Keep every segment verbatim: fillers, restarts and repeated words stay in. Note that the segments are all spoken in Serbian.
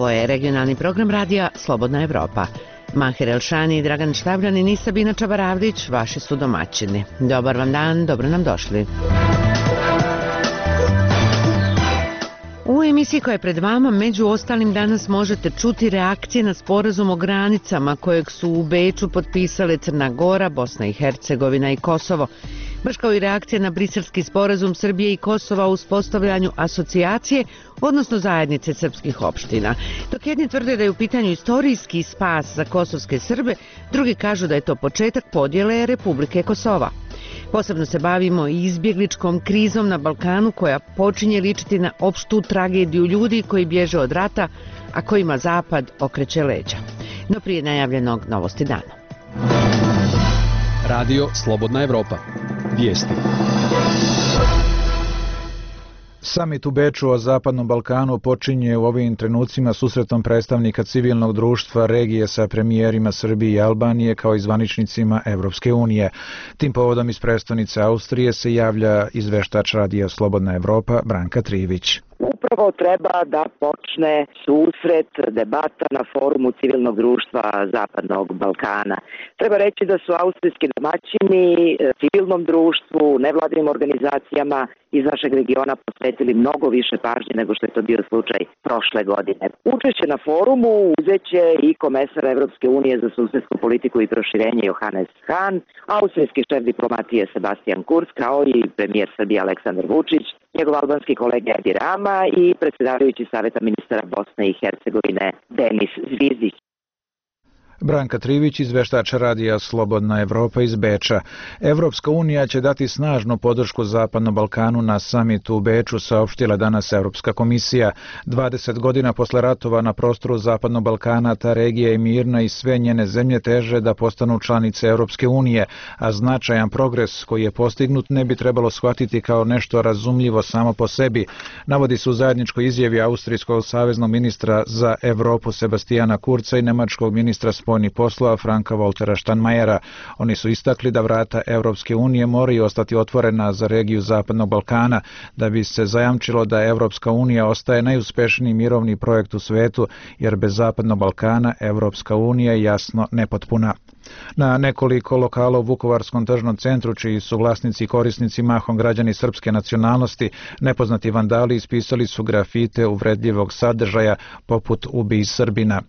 Ovo je regionalni program radija Slobodna Evropa. Mahir Elšani i Dragan Štabljanin i Sabina Čabaravdić, vaši su domaćini. Dobar vam dan, dobro nam došli. U emisiji koja je pred vama, među ostalim danas možete čuti reakcije na sporazum o granicama kojeg su u Beču potpisale Crna Gora, Bosna i Hercegovina i Kosovo. Baš kao i reakcije na briselski sporazum Srbije i Kosova o uspostavljanju asocijacije, odnosno zajednice srpskih opština. Dok jedni tvrde da je u pitanju istorijski spas za kosovske Srbe, drugi kažu da je to početak podjele Republike Kosova. Posebno se bavimo i izbjegličkom krizom na Balkanu koja počinje ličiti na opštu tragediju ljudi koji bježe od rata, a kojima Zapad okreće leđa. No prije najavljenog novosti dana. Radio Slobodna Evropa. Vijesti. Samit u Beču o Zapadnom Balkanu počinje u ovim trenucima susretom predstavnika civilnog društva regije sa premijerima Srbije i Albanije kao i zvaničnicima Evropske unije. Tim povodom iz prestonice Austrije se javlja izveštač radija Slobodna Evropa Branka Trivić. Upravo treba da počne susret, debata na forumu civilnog društva Zapadnog Balkana. Treba reći da su austrijski domaćini civilnom društvu, nevladinim organizacijama iz našeg regiona posvetili mnogo više pažnje nego što je to bio slučaj prošle godine. Učešće na forumu uzeće i komesar Evropske unije za susedsku politiku i proširenje Johannes Hahn, austrijski šef diplomatije Sebastian Kurz, kao i premijer Srbije Aleksandar Vučić, njegov albanski kolega Edi Rama i predsjedavajući Saveta ministara Bosne i Hercegovine Denis Zvizdić. Branka Trivić, izveštač radija Slobodna Evropa iz Beča. Evropska unija će dati snažnu podršku Zapadnom Balkanu na samitu u Beču, saopštila danas Evropska komisija. dvadeset godina posle ratova na prostoru Zapadnog Balkana ta regija je mirna i sve njene zemlje teže da postanu članice Evropske unije, a značajan progres koji je postignut ne bi trebalo shvatiti kao nešto razumljivo samo po sebi. Navodi se u zajedničkoj izjavi austrijskog saveznog ministra za Evropu Sebastijana Kurza i nemačkog ministra spoljnih poslova Franka Voltera Steinmeiera. Oni su istakli da vrata Evropske unije moraju ostati otvorena za regiju Zapadnog Balkana, da bi se zajamčilo da Evropska unija ostaje najuspešniji mirovni projekt u svetu, jer bez Zapadnog Balkana Evropska unija je jasno nepotpuna. Na nekoliko lokala u Vukovarskom tržnom centru, čiji su vlasnici i korisnici mahom građani srpske nacionalnosti, nepoznati vandali ispisali su grafite uvredljivog sadržaja poput "Ubij Srbina".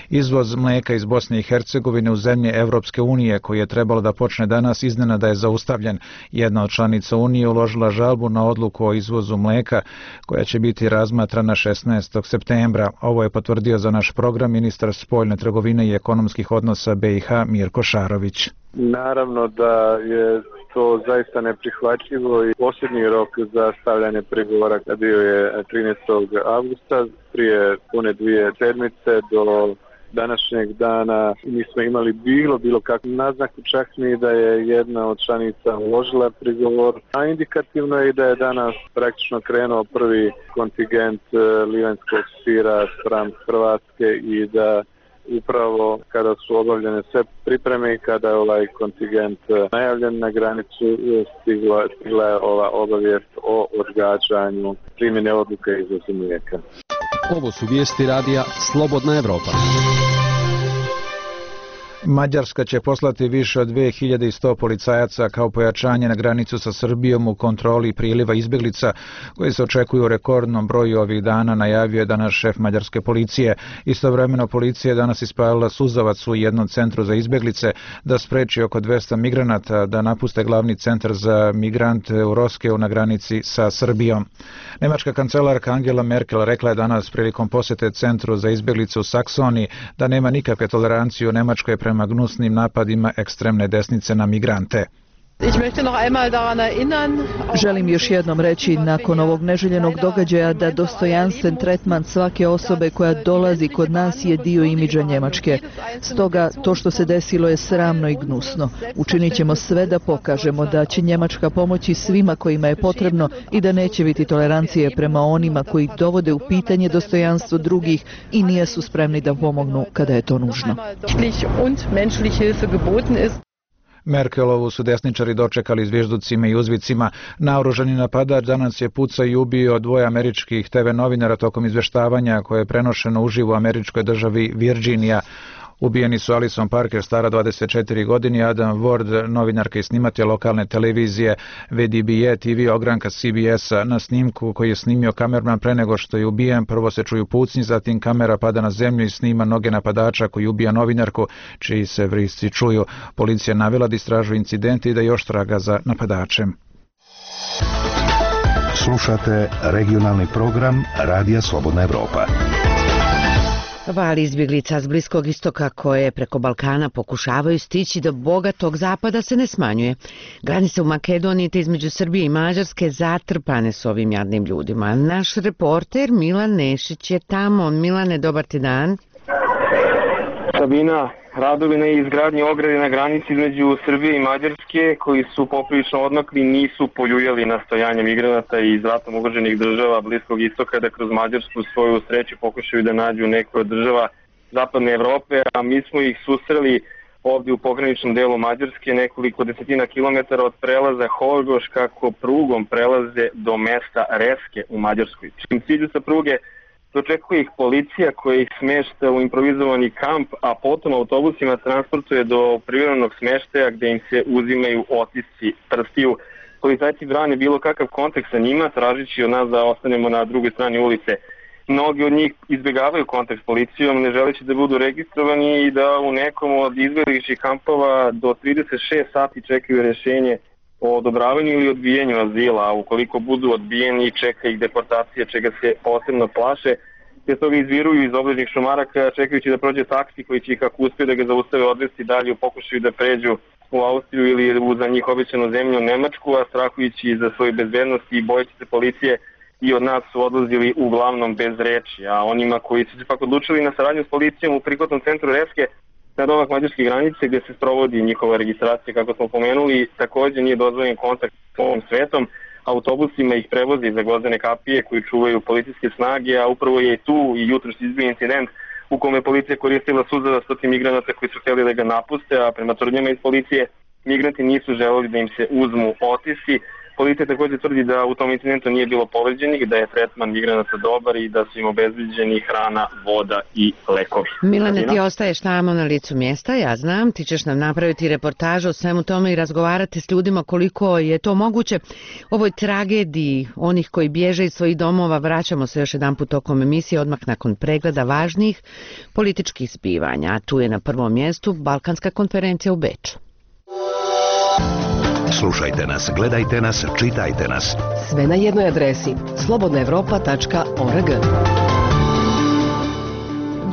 Izvoz mlijeka iz Bosne i Hercegovine u zemlje Evropske unije, koji je trebalo da počne danas, iznenada je zaustavljen. Jedna od članica Unije uložila žalbu na odluku o izvozu mlijeka, koja će biti razmatrana šesnaestog septembra. Ovo je potvrdio za naš program ministar spoljne trgovine i ekonomskih odnosa B i H Mirko Šarović. Naravno da je to zaista neprihvatljivo i posljednji rok za stavljanje pregovora bio je trinaestog avgusta, prije pune dvije sedmice do današnjeg dana nismo imali bilo bilo kakvu naznaku, čak ni da je jedna od članica uložila prigovor, a indikativno je i da je danas praktično krenuo prvi kontingent livanjskog sira spram Hrvatske i da upravo kada su obavljene sve pripreme i kada je ovaj kontingent najavljen na granicu, stigla, stigla je ova obavijest o odgađanju primjene odluke izvoza mlijeka. Ovo su vijesti radija Slobodna Evropa. Mađarska će poslati više od dve hiljade sto policajaca kao pojačanje na granicu sa Srbijom u kontroli priliva izbjeglica koji se očekuju u rekordnom broju ovih dana, najavio je danas šef mađarske policije. Istovremeno policija je danas ispalila suzavac u jednom centru za izbjeglice da spreči oko dvesta migranata da napuste glavni centar za migrante u Roskeu na granici sa Srbijom. Nemačka kancelarka Angela Merkel rekla je danas prilikom posjete centru za izbjeglice u Saksoniji da nema nikakve tolerancije u Nemačkoj prema gnusnim napadima ekstremne desnice na migrante. Želim još jednom reći nakon ovog neželjenog događaja da dostojanstven tretman svake osobe koja dolazi kod nas je dio imidža Njemačke. Stoga to što se desilo je sramno i gnusno. Učinit ćemo sve da pokažemo da će Njemačka pomoći svima kojima je potrebno i da neće biti tolerancije prema onima koji dovode u pitanje dostojanstvo drugih i nisu spremni da pomognu kada je to nužno. Merkelovu su desničari dočekali zvižducima i uzvicima. Naoružani napadač danas je pucao i ubio dvoje američkih te ve novinara tokom izveštavanja koje je prenošeno uživo u američkoj državi Virginija. Ubijeni su Alison Parker, stara dvadeset četiri godine, i Adam Ward, novinarka i snimatelj lokalne televizije V D B A T V ogranka C B S-a. Na snimku koji je snimio kamerman pre nego što je ubijen, prvo se čuju pucnji, zatim kamera pada na zemlju i snima noge napadača koji ubija novinarku, čiji se vrisci čuju. Policija navela da istražuje incident i da još traga za napadačem. Slušate regionalni program Radija Slobodna Evropa. Val izbjeglica s Bliskog istoka koje preko Balkana pokušavaju stići do bogatog zapada se ne smanjuje. Granice u Makedoniji te između Srbije i Mađarske zatrpane s ovim jadnim ljudima. Naš reporter Milan Nešić je tamo. Milane, dobar ti dan. Sabina, radovi na izgradnji ograde na granici između Srbije i Mađarske, koji su poprilično odmakli, nisu poljuljali nastojanje migranata iz ratom ugroženih država Bliskog istoka da kroz Mađarsku svoju sreću pokušaju da nađu neku od država zapadne Evrope, a mi smo ih susreli ovdje u pograničnom delu Mađarske, nekoliko desetina kilometara od prelaza Horgoš, kako prugom prelaze do mesta Reske u Mađarskoj. Čim cilju sa pruge dočekuje ih policija koja ih smešta u improvizovani kamp, a potom autobusima transportuje do privremenog smeštaja gde im se uzimaju otisci prstiju. Policajci brane bilo kakav kontakt sa njima, tražići od nas da ostanemo na drugoj strani ulice. Mnogi od njih izbjegavaju kontakt s policijom, ne želeći da budu registrovani i da u nekom od izbjegličkih kampova do trideset šest sati čekaju rješenje o odobravanju ili odbijenju azila, a ukoliko budu odbijeni čeka ih deportacija, čega se posebno plaše, te toga izviruju iz obližnjih šumaraka čekajući da prođe taksi koji će ih, kako uspije da ga zaustave, odvesti dalje u pokušaju da pređu u Austriju ili u za njih obećanu zemlju Nemačku, a strahujući za svoju bezbednost i bojeći se policije i od nas su odlazili uglavnom bez reči, a onima koji su se pak odlučili na saradnju s policijom u prihvatnom centru Reske na domak mađarske granice gdje se sprovodi njihova registracija, kako smo pomenuli, također nije dozvoljen kontakt s ovom svetom. Autobusima ih prevozi za gvozdene kapije koji čuvaju policijske snage, a upravo je tu i jutros izbio incident u kome policija koristila suzava stoti migranata koji su htjeli da ga napuste, a prema tvrdnjama iz policije migranti nisu želeli da im se uzmu otisci. Policija također tvrdi da u tom incidentu nije bilo povređenih, da je tretman migranata dobar i da su im obezbeđeni hrana, voda i lekovi. Milane, ti ostaješ tamo na licu mjesta, ja znam, ti ćeš nam napraviti reportažu o svemu tome i razgovarati s ljudima koliko je to moguće. Ovoj tragediji onih koji bježe iz svojih domova vraćamo se još jedan put tokom emisije odmah nakon pregleda važnih političkih zbivanja. A tu je na prvom mjestu Balkanska konferencija u Beču. Slušajte nas, gledajte nas, čitajte nas. Sve na jednoj adresi slobodna evropa tačka org.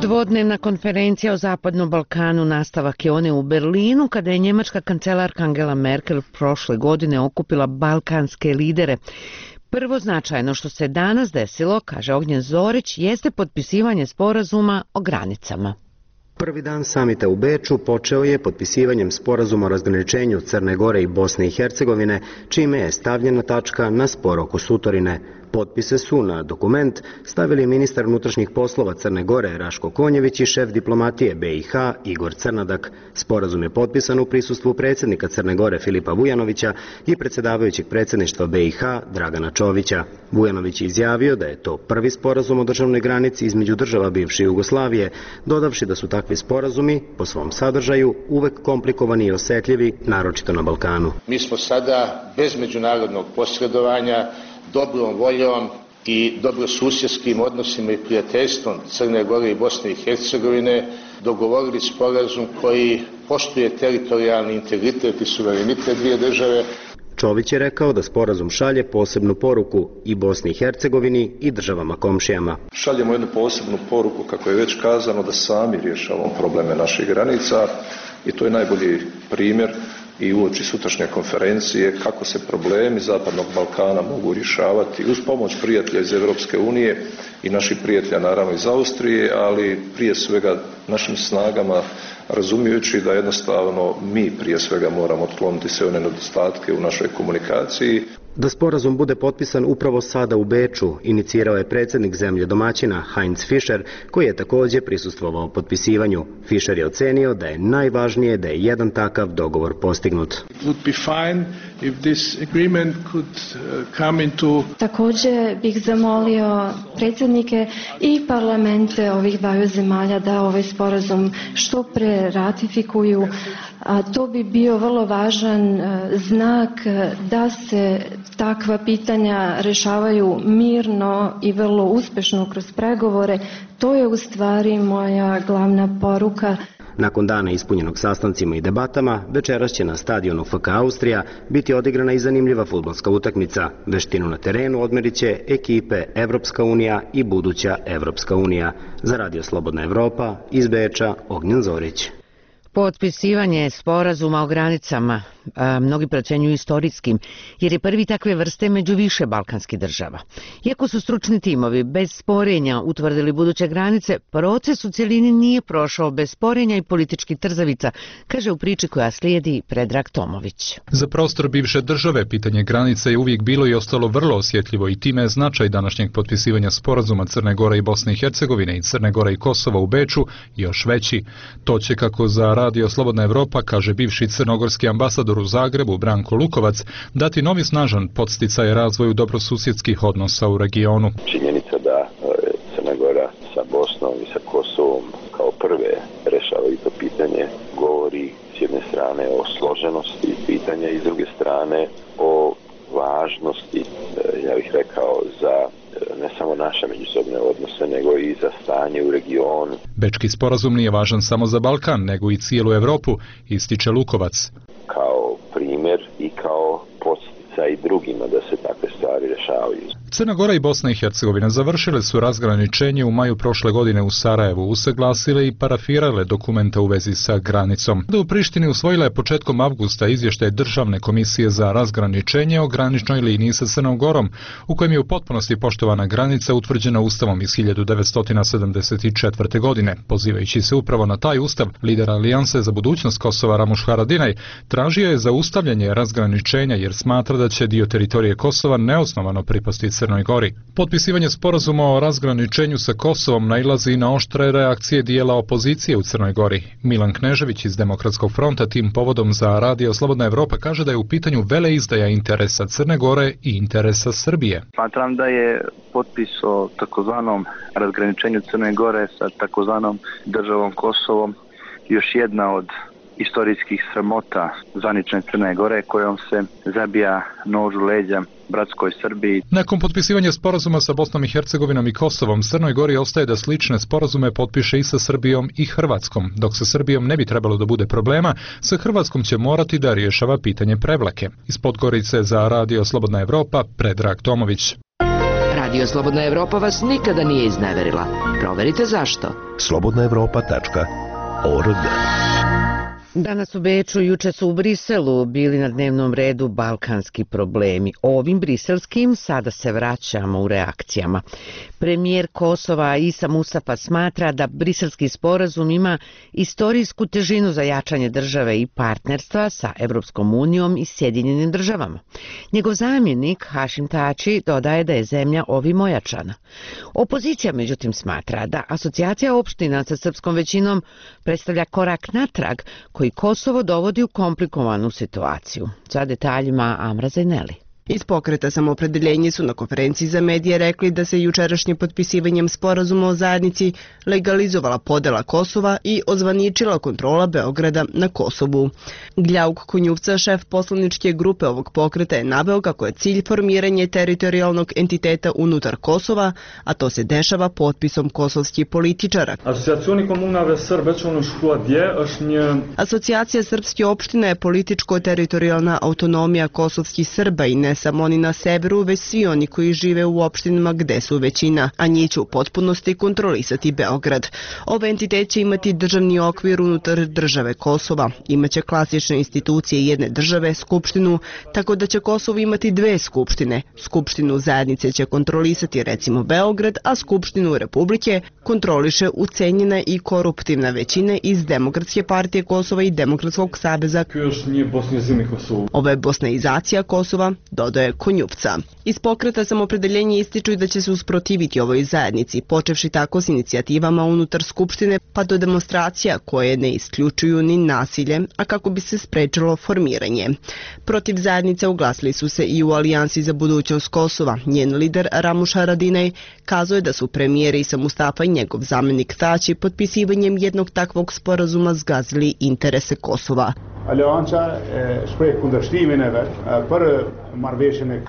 Dvodnevna konferencija o Zapadnom Balkanu nastavak je one u Berlinu kada je njemačka kancelarka Angela Merkel prošle godine okupila balkanske lidere. Prvo značajno što se danas desilo, kaže Ognjen Zorić, jeste potpisivanje sporazuma o granicama. Prvi dan samita u Beču počeo je potpisivanjem sporazuma o razgraničenju Crne Gore i Bosne i Hercegovine, čime je stavljena tačka na spor oko Sutorine. Potpise su na dokument stavili ministar unutrašnjih poslova Crne Gore Raško Konjević i šef diplomatije B i H Igor Crnadak. Sporazum je potpisan u prisustvu predsjednika Crne Gore Filipa Vujanovića i predsjedavajućeg predsjedništva B i H Dragana Čovića. Vujanović je izjavio da je to prvi sporazum o državnoj granici između država bivše Jugoslavije, dodavši da su takvi sporazumi po svom sadržaju uvek komplikovani i osjetljivi, naročito na Balkanu. Mi smo sada bez međunarodnog posredovanja, dobrom voljom i dobrosusjedskim odnosima i prijateljstvom Crne Gore i Bosne i Hercegovine dogovorili sporazum koji poštuje teritorijalni integritet i suverenitet dvije države. Čović je rekao da sporazum šalje posebnu poruku i Bosni i Hercegovini i državama komšijama. Šaljemo jednu posebnu poruku, kako je već kazano, da sami rješavamo probleme naših granica i to je najbolji primjer i uoči sutrašnje konferencije kako se problemi Zapadnog Balkana mogu rješavati uz pomoć prijatelja iz Europske unije i naših prijatelja naravno iz Austrije, ali prije svega našim snagama, razumijući da jednostavno mi prije svega moramo otkloniti sve one nedostatke u našoj komunikaciji. Da sporazum bude potpisan upravo sada u Beču, inicirao je predsjednik zemlje domaćina Heinz Fischer, koji je također prisustvovao potpisivanju. Fischer je ocenio da je najvažnije da je jedan takav dogovor postignut. Također bih zamolio predsjednike i parlamente ovih dvaju zemalja da ovaj sporazum što pre ratifikuju. A to bi bio vrlo važan znak da se takva pitanja rešavaju mirno i vrlo uspešno kroz pregovore. To je u stvari moja glavna poruka. Nakon dana ispunjenog sastancima i debatama, večeras će na stadionu F K Austrija biti odigrana i zanimljiva fudbalska utakmica. Veštinu na terenu odmerit će ekipe Evropska unija i buduća Evropska unija. Za Radio Slobodna Evropa, iz Beča, Ognjen Zorić. Potpisivanje sporazuma o granicama a, mnogi procenjuju istorijskim, jer je prvi takve vrste među više balkanskih država. Iako su stručni timovi bez sporenja utvrdili buduće granice, proces u cjelini nije prošao bez sporenja i političkih trzavica, kaže u priči koja slijedi Predrag Tomović. Za prostor bivše države pitanje granica je uvijek bilo i ostalo vrlo osjetljivo i time je značaj današnjeg potpisivanja sporazuma Crne Gore i Bosne i Hercegovine i Crne Gore i Kosova u Beču još veći. To će, kako za Radio Slobodna Evropa kaže bivši crnogorski ambasador u Zagrebu Branko Lukovac, dati novi snažan podsticaj razvoju dobrosusjedskih odnosa u regionu. Činjenica da Crna Gora sa Bosnom i sa Kosovom kao prve rešavaju to pitanje govori s jedne strane o složenosti pitanja i s druge strane o važnosti, ja bih rekao, za ne samo naše međusobne odnose, nego i za stanje u regionu. Bečki sporazum nije važan samo za Balkan, nego i cijelu Evropu, ističe Lukovac. Kao primjer i kao podsticaj drugima da se takve stvari rešavaju. Crna Gora i Bosna i Hercegovina završile su razgraničenje u maju prošle godine u Sarajevu, usaglasile i parafirale dokumente u vezi sa granicom. Da u Prištini usvojila je početkom avgusta izvještaj Državne komisije za razgraničenje o graničnoj liniji sa Crnom Gorom, u kojem je u potpunosti poštovana granica utvrđena Ustavom iz hiljadu devetsto sedamdeset četvrte. godine. Pozivajući se upravo na taj ustav, lider Alijanse za budućnost Kosova Ramuš Haradinaj tražio je zaustavljanje razgraničenja jer smatra da će dio teritorije Kosova neosnovano pripasti Crnoj Gori. Potpisivanje sporazuma o razgraničenju sa Kosovom nailazi na oštre reakcije dijela opozicije u Crnoj Gori. Milan Knežević iz Demokratskog fronta tim povodom za Radio Slobodna Evropa kaže da je u pitanju veleizdaja interesa Crne Gore i interesa Srbije. Smatram da je potpis o takozvanom razgraničenju Crne Gore sa takozvanom državom Kosovom još jedna od istorijskih sramota zvanične Crne Gore kojom se zabija nož u leđa bratskoj Srbiji. Nakon potpisivanja sporazuma sa Bosnom i Hercegovinom i Kosovom, Crnoj Gori ostaje da slične sporazume potpiše i sa Srbijom i Hrvatskom. Dok sa Srbijom ne bi trebalo da bude problema, sa Hrvatskom će morati da rješava pitanje Prevlake. Iz Podgorice za Radio Slobodna Evropa, Predrag Tomović. Radio Slobodna Evropa vas nikada nije izneverila. Proverite zašto. slobodna evropa tačka org. Danas u Beču, juče su u Briselu bili na dnevnom redu balkanski problemi. Ovim briselskim sada se vraćamo u reakcijama. Premijer Kosova Isa Mustafa smatra da briselski sporazum ima istorijsku težinu za jačanje države i partnerstva sa Evropskom unijom i Sjedinjenim državama. Njegov zamjenik Hašim Tači dodaje da je zemlja ovim ojačana. Opozicija međutim smatra da asocijacija opština sa srpskom većinom predstavlja korak natrag koji Kosovo dovodi u komplikovanu situaciju. Za detaljima Amra Zajneli. Iz pokreta Samoopredeljenje su na konferenciji za medije rekli da se jučerašnjim potpisivanjem sporazuma o zajednici legalizovala podela Kosova i ozvaničila kontrola Beograda na Kosovu. Gljauk Konjuvca, šef poslaničke grupe ovog pokreta, je naveo kako je cilj formiranje teritorijalnog entiteta unutar Kosova, a to se dešava potpisom kosovskih političara. Asocijacija srpske opštine je političko-teritorijalna autonomija kosovskih Srba i ne samo oni na severu, već svi oni koji žive u opštinama gde su većina, a njih će u potpunosti kontrolisati Beograd. Ovaj entitet će imati državni okvir unutar države Kosova, imaće klasične institucije jedne države, skupštinu, tako da će Kosovo imati dve skupštine. Skupštinu zajednice će kontrolisati recimo Beograd, a skupštinu Republike kontroliše ucenjena i koruptivna većina iz Demokratske partije Kosova i Demokratskog saveza. Ovo je bosnaizacija Kosova, dodao dodaje Konjupca. Iz pokreta Samopredeljenje ističu i da će se usprotiviti ovoj zajednici, počevši tako s inicijativama unutar Skupštine pa do demonstracija koje ne isključuju ni nasilje, a kako bi se sprečilo formiranje. Protiv zajednice uglasili su se i u Alijansi za budućnost Kosova. Njen lider Ramuš Haradinaj kazuje da su premijer Isa Mustafa i njegov zamenik Tači potpisivanjem jednog takvog sporazuma zgazili interese Kosova.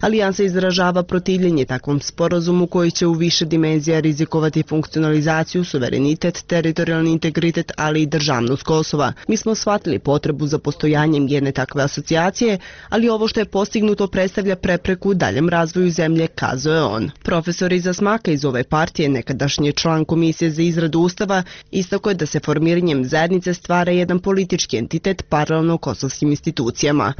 Alijansa izražava protivljenje takvom sporazumu koji će u više dimenzija rizikovati funkcionalizaciju, suverenitet, teritorijalni integritet, ali i državnost Kosova. Mi smo shvatili potrebu za postojanjem jedne takve asocijacije, ali ovo što je postignuto predstavlja prepreku daljem razvoju zemlje, kazuje on. Profesor Iza Smaka iz ove partije, nekadašnji član Komisije za izradu Ustava, istakao je da se formiranjem zajednice stvara jedan politički entitet paralelno kosovskim institucijama.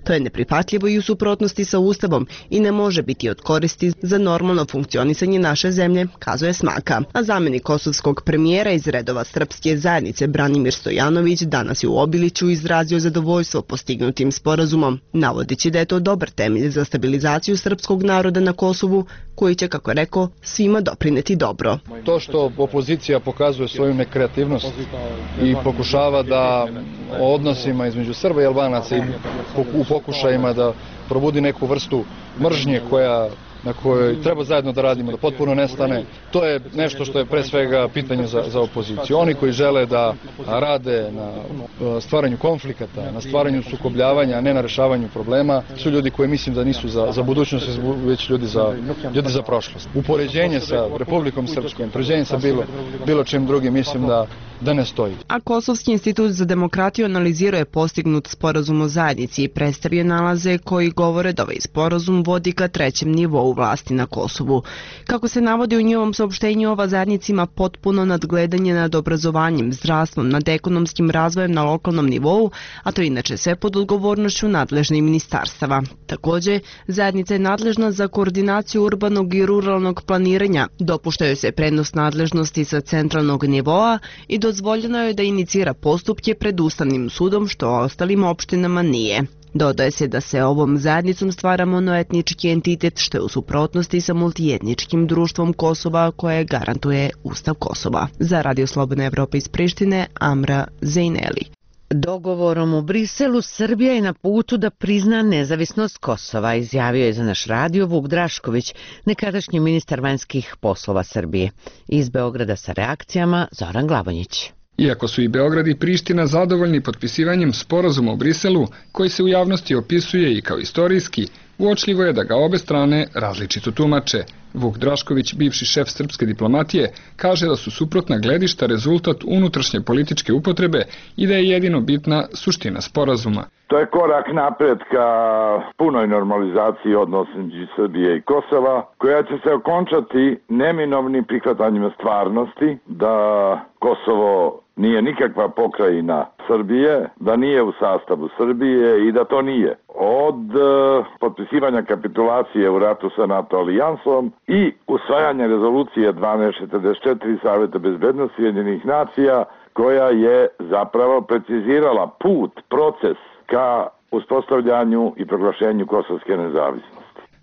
To je neprihvatljivo i u suprotnosti sa Ustavom i ne može biti od koristi za normalno funkcionisanje naše zemlje, kazuje Smaka. A zamenik kosovskog premijera iz redova srpske zajednice Branimir Stojanović danas je u Obiliću izrazio zadovoljstvo postignutim sporazumom, navodeći da je to dobar temelj za stabilizaciju srpskog naroda na Kosovu, koji će, kako je rekao, svima doprineti dobro. To što opozicija pokazuje svoju nekreativnost i pokušava da o odnosima između Srba i Albanaca i u pokušajima da probudi neku vrstu mržnje koja na kojoj treba zajedno da radimo, da potpuno nestane. To je nešto što je pre svega pitanje za, za opoziciju. Oni koji žele da rade na stvaranju konflikata, na stvaranju sukobljavanja, a ne na rešavanju problema, su ljudi koji mislim da nisu za, za budućnost, već ljudi za, ljudi za prošlost. Upoređenje sa Republikom Srpskom, upoređenje sa bilo, bilo čim drugim, mislim da da ne stoji. A Kosovski institut za demokratiju analizirao je postignut sporazum o zajednici i predstavio nalaze koji govore da ovaj sporazum vodi ka trećem nivou vlasti na Kosovu. Kako se navodi u njihovom saopštenju, ova zajednica ima potpuno nadgledanje nad obrazovanjem, zdravstvom, nad ekonomskim razvojem na lokalnom nivou, a to je inače sve pod odgovornošću nadležnih ministarstava. Takođe, zajednica je nadležna za koordinaciju urbanog i ruralnog planiranja, dopuštaju se prenos nadležnosti sa centralnog nivoa i dozvoljeno je da inicira postupke pred Ustavnim sudom, što ostalim opštinama nije. Dodaje se da se ovom zajednicom stvara monoetnički entitet, što je u suprotnosti sa multietničkim društvom Kosova koje garantuje Ustav Kosova. Za Radio Slobodna Evropa iz Prištine, Amra Zejneli. Dogovorom u Briselu Srbija je na putu da prizna nezavisnost Kosova, izjavio je za naš radio Vuk Drašković, nekadašnji ministar vanjskih poslova Srbije. Iz Beograda sa reakcijama Zoran Glavonjić. Iako su i Beograd i Priština zadovoljni potpisivanjem sporazuma u Briselu, koji se u javnosti opisuje i kao istorijski, uočljivo je da ga obe strane različito tumače. Vuk Drašković, bivši šef srpske diplomatije, kaže da su suprotna gledišta rezultat unutrašnje političke upotrebe i da je jedino bitna suština sporazuma. To je korak napred ka punoj normalizaciji odnosa između Srbije i Kosova, koja će se okončati neminovnim prihvatanjem stvarnosti da Kosovo nije nikakva pokrajina Srbije, da nije u sastavu Srbije i da to nije. Od uh, potpisivanja kapitulacije u ratu sa NATO alijansom i usvajanja rezolucije dvanaest četrdeset četiri Saveta bezbednosti Ujedinjenih nacija, koja je zapravo precizirala put, proces ka uspostavljanju i proglašenju kosovske nezavisnosti.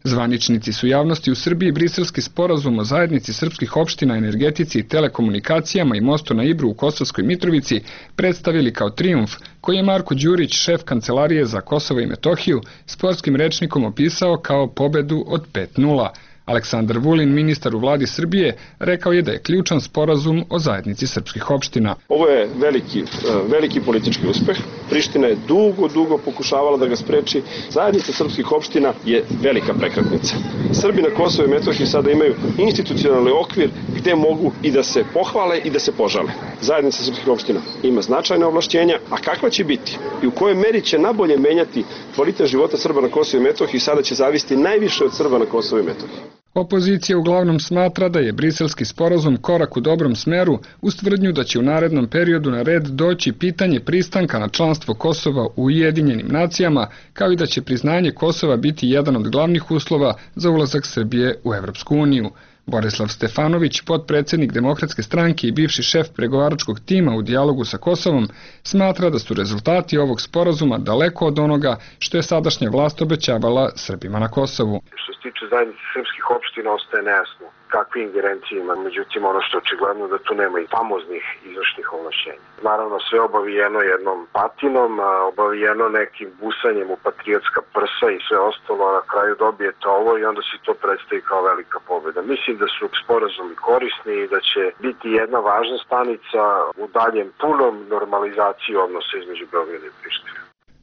Zvaničnici su javnosti u Srbiji briselski sporazum o zajednici srpskih opština, energetici i telekomunikacijama i mostu na Ibru u Kosovskoj Mitrovici predstavili kao trijumf, koji je Marko Đurić, šef Kancelarije za Kosovo i Metohiju, sportskim rečnikom opisao kao pobedu od pet nula. Aleksandar Vulin, ministar u vladi Srbije, rekao je da je ključan sporazum o zajednici srpskih opština. Ovo je veliki, veliki politički uspeh. Priština je dugo, dugo pokušavala da ga spreči. Zajednica srpskih opština je velika prekretnica. Srbi na Kosovo i Metohiji sada imaju institucionalni okvir gde mogu i da se pohvale i da se požale. Zajednica srpskih opština ima značajne ovlašćenja, a kakva će biti i u kojoj meri će nabolje menjati kvalitet života Srba na Kosovo i Metohiji sada će zavisiti najviše od Srba na Kosovo i Metohiji. Opozicija uglavnom smatra da je briselski sporazum korak u dobrom smeru uz tvrdnju da će u narednom periodu na red doći pitanje pristanka na članstvo Kosova u Ujedinjenim nacijama, kao i da će priznanje Kosova biti jedan od glavnih uslova za ulazak Srbije u Evropsku uniju. Borislav Stefanović, potpredsjednik Demokratske stranke i bivši šef pregovaračkog tima u dijalogu sa Kosovom, smatra da su rezultati ovog sporazuma daleko od onoga što je sadašnja vlast obećavala Srbima na Kosovu. Što se tiče zajednice srpskih opština ostaje nejasno kakve ingerencije ima, međutim ono što je očigledno da tu nema i famoznih izvršnih ovlašćenja. Naravno sve obavijeno jednom patinom, obavijeno nekim busanjem u patriotska prsa i sve ostalo, a na kraju dobijete ovo i onda se to predstavi kao velika pobjeda. Mislim da su sporazumi korisni i da će biti jedna važna stanica u daljem punom normalizaciji odnosa između Beograda i Prištine.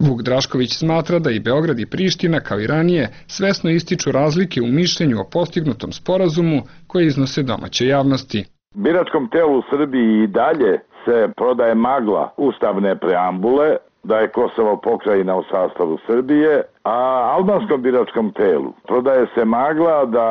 Vuk Drašković smatra da i Beograd i Priština, kao i ranije, svesno ističu razlike u mišljenju o postignutom sporazumu koje iznose domaće javnosti. Biračkom telu u Srbiji i dalje se prodaje magla ustavne preambule, da je Kosovo pokrajina u sastavu Srbije, a albanskom biračkom telu prodaje se magla da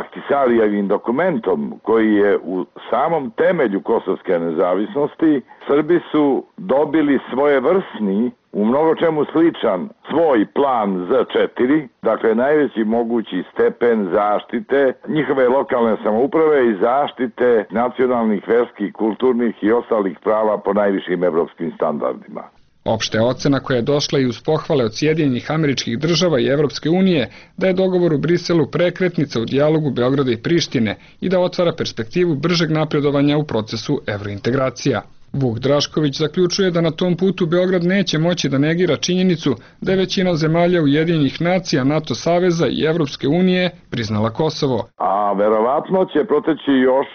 Ahtisarijevim dokumentom, koji je u samom temelju kosovske nezavisnosti, Srbi su dobili svojevrsni, u mnogo čemu sličan, svoj plan Z četiri, dakle najveći mogući stepen zaštite njihove lokalne samouprave i zaštite nacionalnih, verskih, kulturnih i ostalih prava po najvišim evropskim standardima. Opšta je ocena koja je došla i uz pohvale od Sjedinjenih Američkih Država i Evropske unije da je dogovor u Briselu prekretnica u dijalogu Beograda i Prištine i da otvara perspektivu bržeg napredovanja u procesu evrointegracija. Vuk Drašković zaključuje da na tom putu Beograd neće moći da negira činjenicu da je većina zemalja Ujedinjenih nacija, NATO saveza i Evropske unije priznala Kosovo. A verovatno će proteći još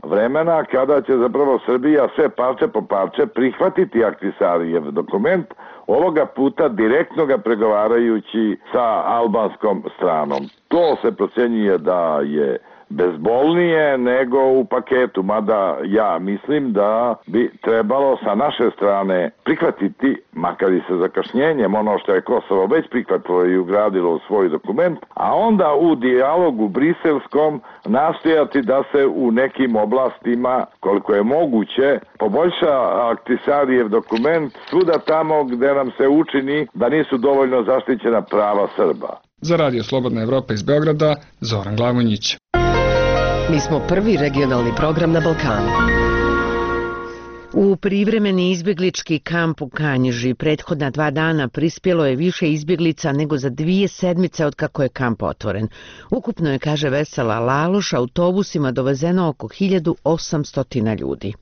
vremena kada će zapravo Srbija sve parče po parče prihvatiti Ahtisarijev dokument, ovoga puta direktno ga pregovarajući sa albanskom stranom. To se procenjuje da je bezbolnije nego u paketu, mada ja mislim da bi trebalo sa naše strane prihvatiti, makar i sa zakašnjenjem, ono što je Kosovo već prihvatilo i ugradilo u svoj dokument, a onda u dijalogu briselskom nastojati da se u nekim oblastima, koliko je moguće, poboljša Ahtisarijev dokument svuda tamo gde nam se učini da nisu dovoljno zaštićena prava Srba. Za Radio Slobodna Evropa iz Beograda, Zoran Glavonjić. Mi smo prvi regionalni program na Balkanu. U privremeni izbjeglički kamp u Kanjiži prethodna dva dana prispjelo je više izbjeglica nego za dvije sedmice od kako je kamp otvoren. Ukupno je, kaže Vesela Laloš, autobusima dovezeno oko hiljadu osamsto ljudi.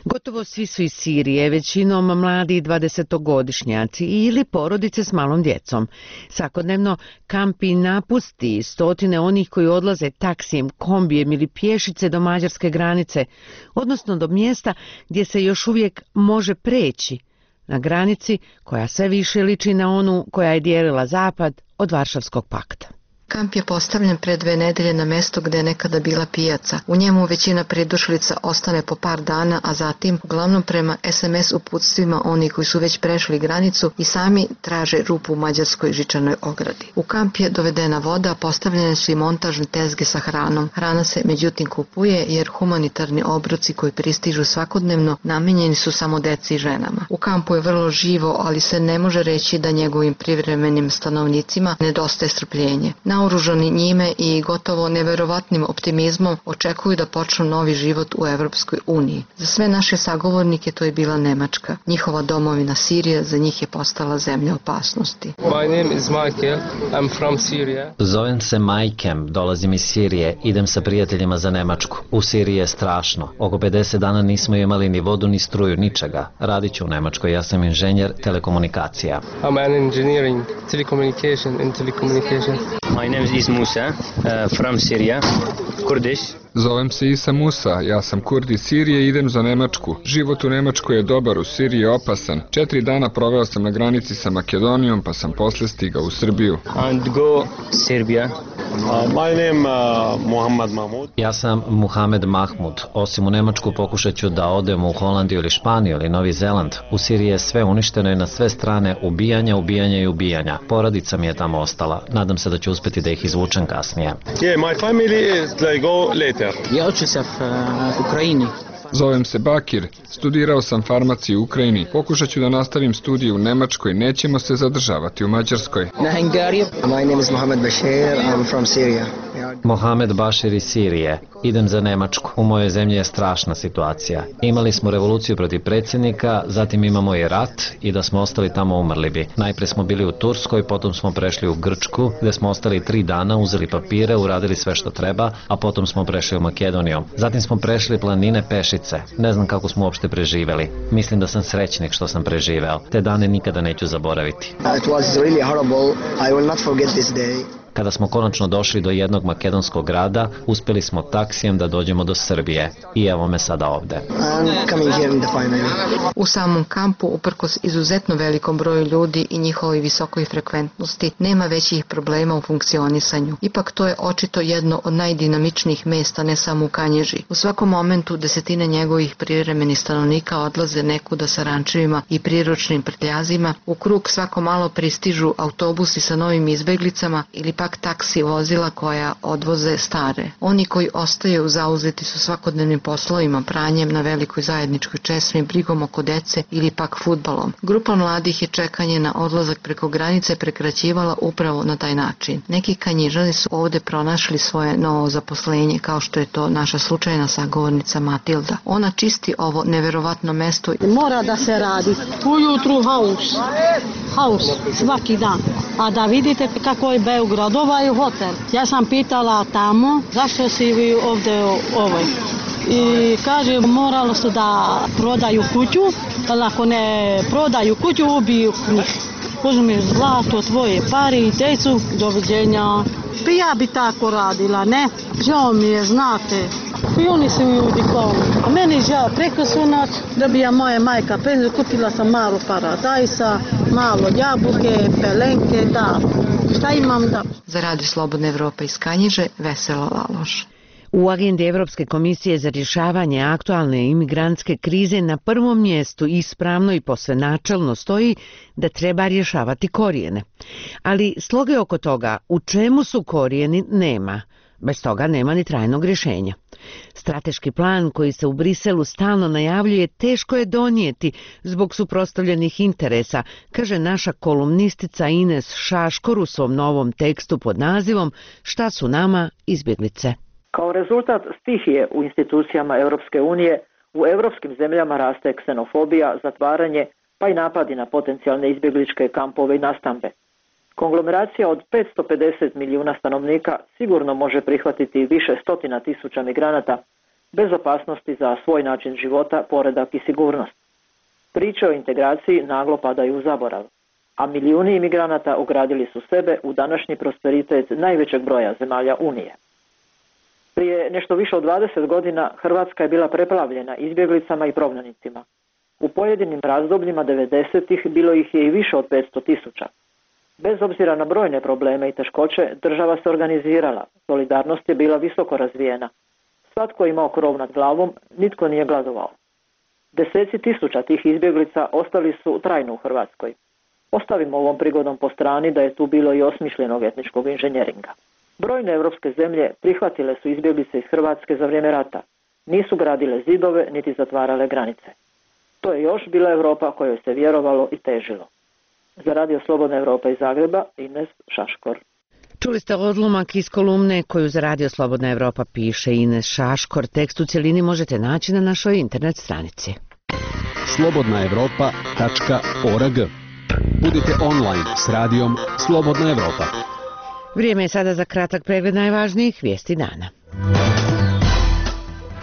Gotovo svi su iz Sirije, većinom mladi dvadesetogodišnjaci ili porodice s malom djecom. Svakodnevno kampi napusti stotine onih koji odlaze taksijem, kombijem ili pješice do mađarske granice, odnosno do mjesta gdje se još uvijek može preći, na granici koja sve više liči na onu koja je dijelila zapad od Varšavskog pakta. Kamp je postavljen pre dve nedelje na mesto gde je nekada bila pijaca. U njemu većina pridošlica ostane po par dana, a zatim, uglavnom prema es em es uputstvima oni koji su već prešli granicu i sami traže rupu u mađarskoj žičanoj ogradi. U kamp je dovedena voda, postavljene su i montažne tezge sa hranom. Hrana se međutim kupuje jer humanitarni obroci koji pristižu svakodnevno namenjeni su samo deci i ženama. U kampu je vrlo živo, ali se ne može reći da njegovim privremenim stanovnicima nedostaje strpljenje. Naoružani njime i gotovo neverovatnim optimizmom očekuju da počnu novi život u Evropskoj uniji. Za sve naše sagovornike to je bila Nemačka. Njihova domovina Sirija za njih je postala zemlja opasnosti. My name is Michael. I'm from Syria. Zovem se Majkem, dolazim iz Sirije, idem sa prijateljima za Nemačku. U Siriji je strašno. Oko pedeset dana nismo imali ni vodu, ni struju, ničega. Radit ću u Nemačkoj, ja sam inženjer telekomunikacija. I'm an engineering telecommunication in telecommunication. My name is Musa, uh, from Syria, Kurdish. Zovem se Isa Musa, ja sam Kurd iz Sirije i idem za Nemačku. Život u Nemačkoj je dobar, u Siriji je opasan. Četiri dana proveo sam na granici sa Makedonijom, pa sam posle stigao u Srbiju. And go Serbia. Uh, my name uh, Muhammad Mahmud. Ja sam Muhamed Mahmud. Osim u Nemačku pokušat ću da odem u Holandiju ili Španiju ili Novi Zeland. U Siriji je sve uništeno i na sve strane ubijanja, ubijanja i ubijanja. Porodica mi je tamo ostala. Nadam se da ću uspjeti da ih izvučem kasnije. Yeah, my family is they go later. Ja učim se u Ukrajini. Zovem se Bakir, studirao sam farmaciju u Ukrajini. Pokušat ću da nastavim studije u Nemačkoj, nećemo se zadržavati u Mađarskoj. Na Hungariju. My name is Mohamed Bashir, I'm from Syria. Mohamed Bašir iz Sirije. Idem za Nemačku. U mojoj zemlji je strašna situacija. Imali smo revoluciju protiv predsjednika, zatim imamo i rat i da smo ostali tamo umrli bi. Najprije smo bili u Turskoj, potom smo prešli u Grčku, gdje smo ostali tri dana, uzeli papire, uradili sve što treba, a potom smo prešli u Makedoniju. Zatim smo prešli planine pešice. Ne znam kako smo uopšte preživeli. Mislim da sam srećnik što sam preživeo. Te dane nikada neću zaboraviti. It was really horrible. I will not forget this day. Kada smo konačno došli do jednog makedonskog grada, uspjeli smo taksijem da dođemo do Srbije. I evo me sada ovde. U samom kampu, uprkos izuzetno velikom broju ljudi i njihovoj visokoj frekventnosti, nema većih problema u funkcionisanju. Ipak to je očito jedno od najdinamičnijih mesta, ne samo u Kanjiži. U svakom momentu desetine njegovih privremenih stanovnika odlaze nekuda sa rančevima i priručnim prtljazima. U krug svako malo pristižu autobusi sa novim izbeglicama ili pak taksi vozila koja odvoze stare. Oni koji ostaju zauzeti su svakodnevnim poslovima, pranjem na velikoj zajedničkoj česmi, brigom oko dece ili pak fudbalom. Grupa mladih je čekanje na odlazak preko granice prekraćivala upravo na taj način. Neki Kanjižani su ovde pronašli svoje novo zaposlenje, kao što je to naša slučajna sagovornica Matilda. Ona čisti ovo neverovatno mesto. Mora da se radi. Ujutru haus. Haus. Svaki dan. A da vidite kako je Beograd, ovaj hotel. Ja sam pitala tamo zašto si vi ovdje ovoj. I kaže moralo su da prodaju kuću, ali ako ne prodaju kuću ubiju njih. Uzmi zlato, tvoje pare i decu, doviđenja. Pa ja bi tako radila, ne? Žao mi je, znate. I oni su ljudi kao, a meni žao preko su noć, dobija moja majka penziju, kupila sam malo paradajsa, malo jabuke, pelenke, da. Šta imam da? Za Radio Slobodna Evropa iz Kanjiže, Vesela Laloš. U agendi Evropske komisije za rješavanje aktualne imigrantske krize na prvom mjestu ispravno i posve načelno stoji da treba rješavati korijene. Ali sloge oko toga u čemu su korijeni nema. Bez toga nema ni trajnog rješenja. Strateški plan koji se u Briselu stalno najavljuje teško je donijeti zbog suprotstavljenih interesa, kaže naša kolumnistica Ines Šaškor u svom novom tekstu pod nazivom Šta su nama izbjeglice. Kao rezultat stihije u institucijama Europske unije, u europskim zemljama raste ksenofobija, zatvaranje, pa i napadi na potencijalne izbjegličke kampove i nastambe. Konglomeracija od petsto pedeset milijuna stanovnika sigurno može prihvatiti više stotina tisuća migranata bez opasnosti za svoj način života, poredak i sigurnost. Priče o integraciji naglo padaju u zaborav, a milijuni imigranata ugradili su sebe u današnji prosperitet najvećeg broja zemalja Unije. Prije nešto više od dvadeset godina Hrvatska je bila preplavljena izbjeglicama i prognanicima. U pojedinim razdobljima devedesetih bilo ih je i više od petsto tisuća. Bez obzira na brojne probleme i teškoće, država se organizirala, solidarnost je bila visoko razvijena. Svatko je imao krov nad glavom, nitko nije gladovao. Deseci tisuća tih izbjeglica ostali su trajno u Hrvatskoj. Ostavimo ovom prigodom po strani da je tu bilo i osmišljenog etničkog inženjeringa. Brojne evropske zemlje prihvatile su izbjeglice iz Hrvatske za vrijeme rata. Nisu gradile zidove niti zatvarale granice. To je još bila Europa kojoj se vjerovalo i težilo. Za Radio Slobodna Evropa iz Zagreba, Ines Šaškor. Čuli ste odlomak iz kolumne koju za Radio Slobodna Evropa piše Ines Šaškor. Tekst u cjelini možete naći na našoj internet stranici. slobodna evropa tačka org. Budite online s radijom Slobodna Evropa. Vrijeme je sada za kratak pregled najvažnijih vijesti dana.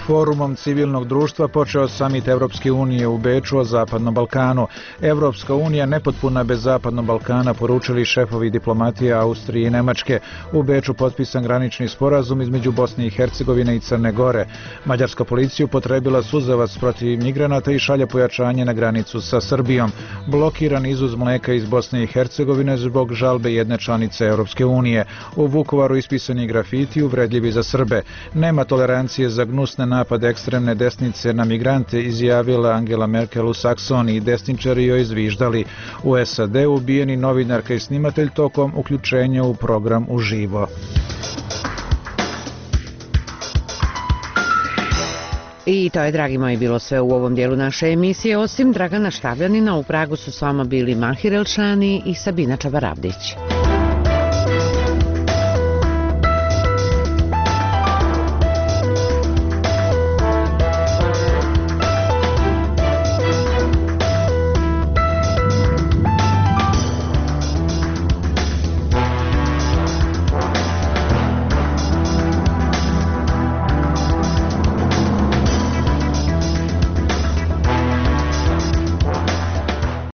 Forumom civilnog društva počeo samit Evropske unije u Beču o Zapadnom Balkanu. Evropska unija nepotpuna bez Zapadnog Balkana, poručili šefovi diplomatije Austrije i Nemačke. U Beču potpisan granični sporazum između Bosne i Hercegovine i Crne Gore. Mađarska policija upotrebila suzavac protiv migranata i šalje pojačanje na granicu sa Srbijom. Blokiran izvoz mlijeka iz Bosne i Hercegovine zbog žalbe jedne članice Evropske unije. U Vukovaru ispisani grafiti uvredljivi za Srbe. Nema tolerancije za gnusne napad ekstremne desnice na migrante, izjavila Angela Merkel u Saksoniji. Desničari joj zviždali. U S A D ubijeni novinarka i snimatelj tokom uključenja u program uživo. I to je, dragi moji, bilo sve u ovom dijelu naše emisije. Osim Dragana Štavljanina, u Pragu su s vama bili Mahir Elšani i Sabina Čabaravdić.